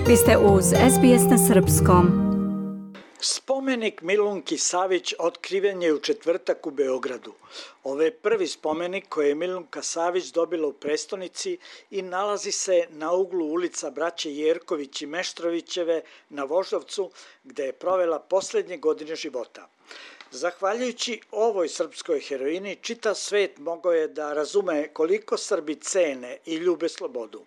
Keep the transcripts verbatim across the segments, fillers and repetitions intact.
Vi ste uz S B S na srpskom. Spomenik Milunki Savić otkriven je u četvrtak u Beogradu. Ovo je prvi spomenik koji je Milunka Savić dobila u prestonici i nalazi se na uglu ulica braće Jerković i Meštrovićeve na Voždovcu, gde je provela poslednje godine života. Zahvaljujući ovoj srpskoj heroini, čitav svet mogao je da razume koliko Srbi cene i ljube slobodu.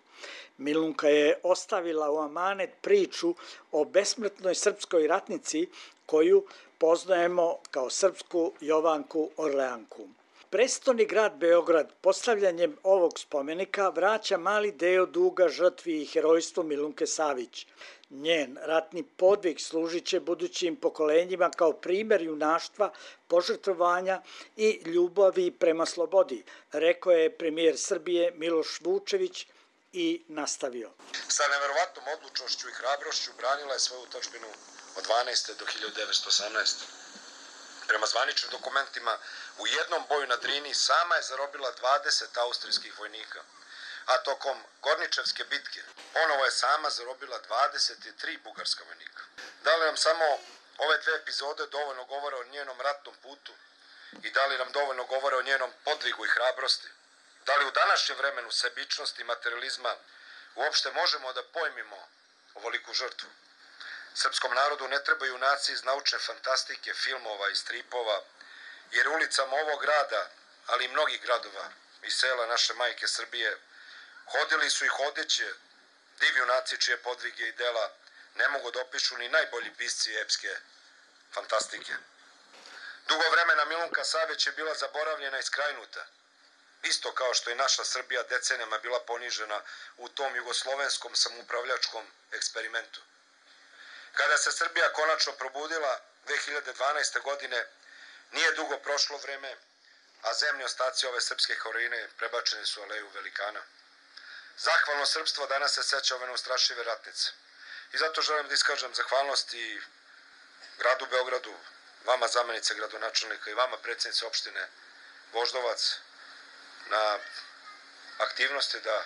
Milunka je ostavila u amanet priču o besmrtnoj srpskoj ratnici koju poznajemo kao srpsku Jovanku Orleanku. Prestoni grad Beograd postavljanjem ovog spomenika vraća mali deo duga žrtvi i herojstvu Milunke Savić. Njen ratni podvig služit će budućim pokolenjima kao primer junaštva, požrtvovanja i ljubavi prema slobodi, rekao je premijer Srbije Miloš Vučević i nastavio. Sa neverovatnom odlučnošću i hrabrošću branila je svoju otadžbinu od dvanaeste do hiljadu devetsto osamnaeste. Prema zvaničnim dokumentima, u jednom boju na Drini sama je zarobila dvadeset austrijskih vojnika, a tokom Gorničevske bitke ponovo je sama zarobila dvadeset tri bugarska vojnika. Da li nam samo ove dve epizode dovoljno govore o njenom ratnom putu i da li nam dovoljno govore o njenom podvigu i hrabrosti? Da li u današnjem vremenu sebičnosti i materializma uopšte možemo da pojmimo ovoliku žrtvu? Srpskom narodu ne trebaju junaci iz naučne fantastike, filmova i stripova, jer ulicama ovog grada, ali i mnogih gradova i sela naše majke Srbije, hodili su i hodeće divi junaci čije podvige i dela ne mogu da opišu ni najbolji pisci epske fantastike. Dugo vremena Milunka Savić je bila zaboravljena i skrajnuta, isto kao što je naša Srbija decenijama bila ponižena u tom jugoslovenskom samoupravljačkom eksperimentu. Kada se Srbija konačno probudila dve hiljade dvanaeste. godine, nije dugo prošlo vreme, a zemlji ostaci ove srpske heroine prebačeni su u aleju velikana. Zahvalno srpstvo danas se seća ove neustrašive ratnice. I zato želim da iskažem zahvalnost i gradu Beogradu, vama zamenice gradonačelnika i vama predsjednice opštine Voždovac, na aktivnosti da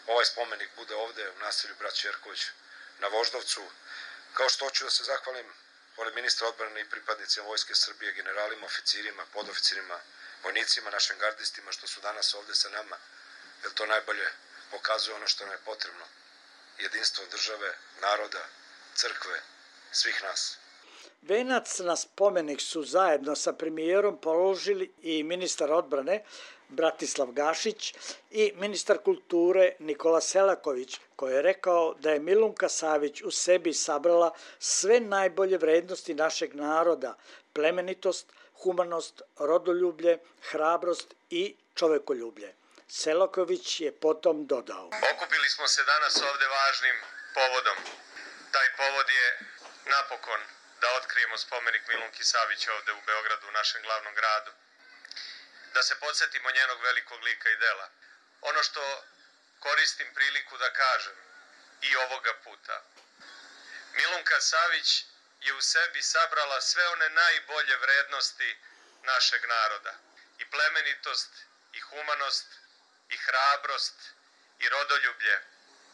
ovaj spomenik bude ovde u naselju braće Jerković na Voždovcu, kao što hoću da se zahvalim pored ministra odbrane i pripadnicima Vojske Srbije, generalima, oficirima, podoficirima, vojnicima, našim gardistima što su danas ovde sa nama, jer to najbolje pokazuje ono što nam je potrebno, jedinstvo države, naroda, crkve, svih nas. Venac na spomenik su zajedno sa premijerom položili i ministar odbrane Bratislav Gašić i ministar kulture Nikola Selaković, koji je rekao da je Milunka Savić u sebi sabrala sve najbolje vrednosti našeg naroda, plemenitost, humanost, rodoljublje, hrabrost i čovekoljublje. Selaković je potom dodao. Okupili smo se danas ovde važnim povodom. Taj povod je napokon da otkrijemo spomenik Milunki Savić ovde u Beogradu, u našem glavnom gradu. Da se podsjetimo njenog velikog lika i dela. Ono što koristim priliku da kažem i ovoga puta. Milunka Savić je u sebi sabrala sve one najbolje vrednosti našeg naroda. I plemenitost, i humanost, i hrabrost, i rodoljublje,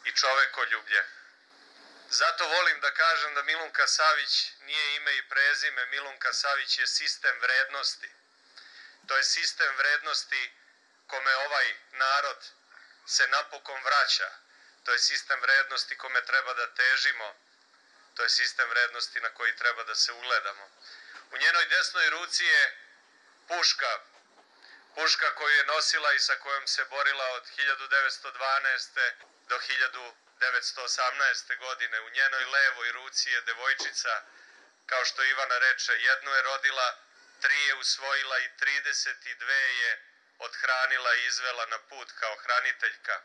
i čovekoljublje. Zato volim da kažem da Milunka Savić nije ime i prezime, Milunka Savić je sistem vrednosti. To je sistem vrednosti kome ovaj narod se napokon vraća. To je sistem vrednosti kome treba da težimo. To je sistem vrednosti na koji treba da se ugledamo. U njenoj desnoj ruci je puška. Puška koju je nosila i sa kojom se borila od hiljadu devetsto dvanaeste. do hiljadu devetsto osamnaeste. godine. U njenoj levoj ruci je devojčica, kao što Ivana reče, jednu je rodila, tri je usvojila i trideset dve je othranila i izvela na put kao hraniteljka.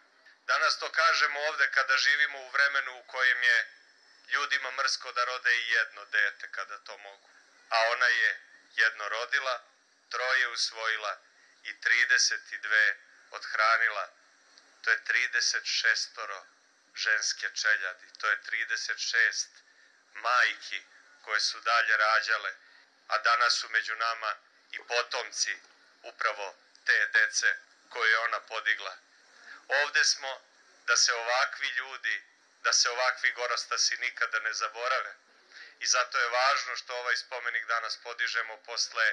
Danas to kažemo ovde kada živimo u vremenu u kojem je ljudima mrsko da rode i jedno dete kada to mogu. A ona je jedno rodila, troje usvojila i trideset dve othranila. To je trideset šestoro ženske čeljadi. To je trideset šest majki koje su dalje rađale, a danas su među nama i potomci upravo te dece koje je ona podigla. Ovde smo da se ovakvi ljudi da se ovakvi gorostasi nikada ne zaborave. I zato je važno što ovaj spomenik danas podižemo posle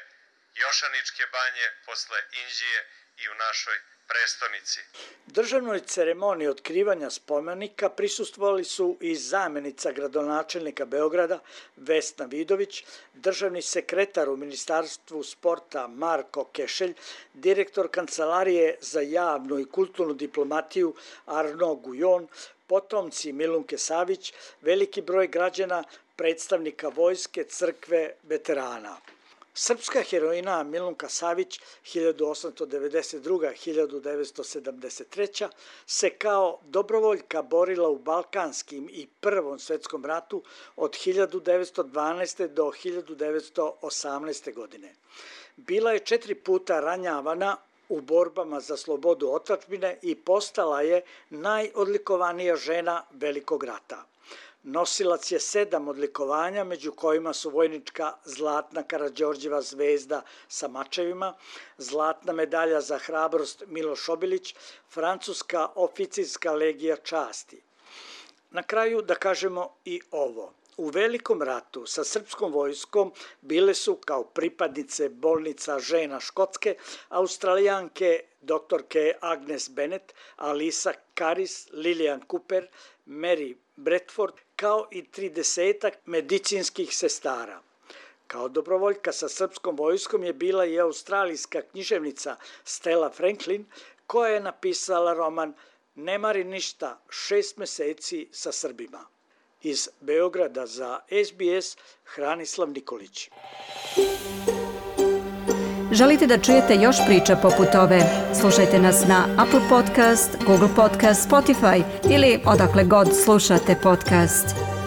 Jošaničke banje, posle Inđije i u našoj prestonici. Državnoj ceremoniji otkrivanja spomenika prisustvovali su i zamenica gradonačelnika Beograda Vesna Vidović, državni sekretar u Ministarstvu sporta Marko Kešelj, direktor Kancelarije za javnu i kulturnu diplomatiju Arno Gujon, potomci Milunke Savić, veliki broj građana, predstavnika vojske, crkve, veterana. Srpska heroina Milunka Savić hiljadu osamsto devedeset druga do hiljadu devetsto sedamdeset treća se kao dobrovoljka borila u Balkanskim i Prvom svetskom ratu od hiljadu devetsto dvanaeste. do hiljadu devetsto osamnaeste. godine. Bila je četiri puta ranjavana u borbama za slobodu otadžbine i postala je najodlikovanija žena Velikog rata. Nosilac je sedam odlikovanja, među kojima su vojnička zlatna Karađorđeva zvezda sa mačevima, zlatna medalja za hrabrost Miloš Obilić, francuska oficirska legija časti. Na kraju da kažemo i ovo. U Velikom ratu sa srpskom vojskom bile su kao pripadnice bolnica žena Škotske, Australijanke doktorke Agnes Bennett, Alisa Karis, Lilian Cooper, Mary Bradford, kao i tridesetak medicinskih sestara. Kao dobrovoljka sa srpskom vojskom je bila i australijska književnica Stella Franklin, koja je napisala roman Ne mari ništa, šest meseci sa Srbima. Iz Beograda za S B S, Hranislav Nikolić. Želite da čujete još priča poput ove? Slušajte nas na Apple Podcast, Google Podcast, Spotify ili odakle god slušate podcast.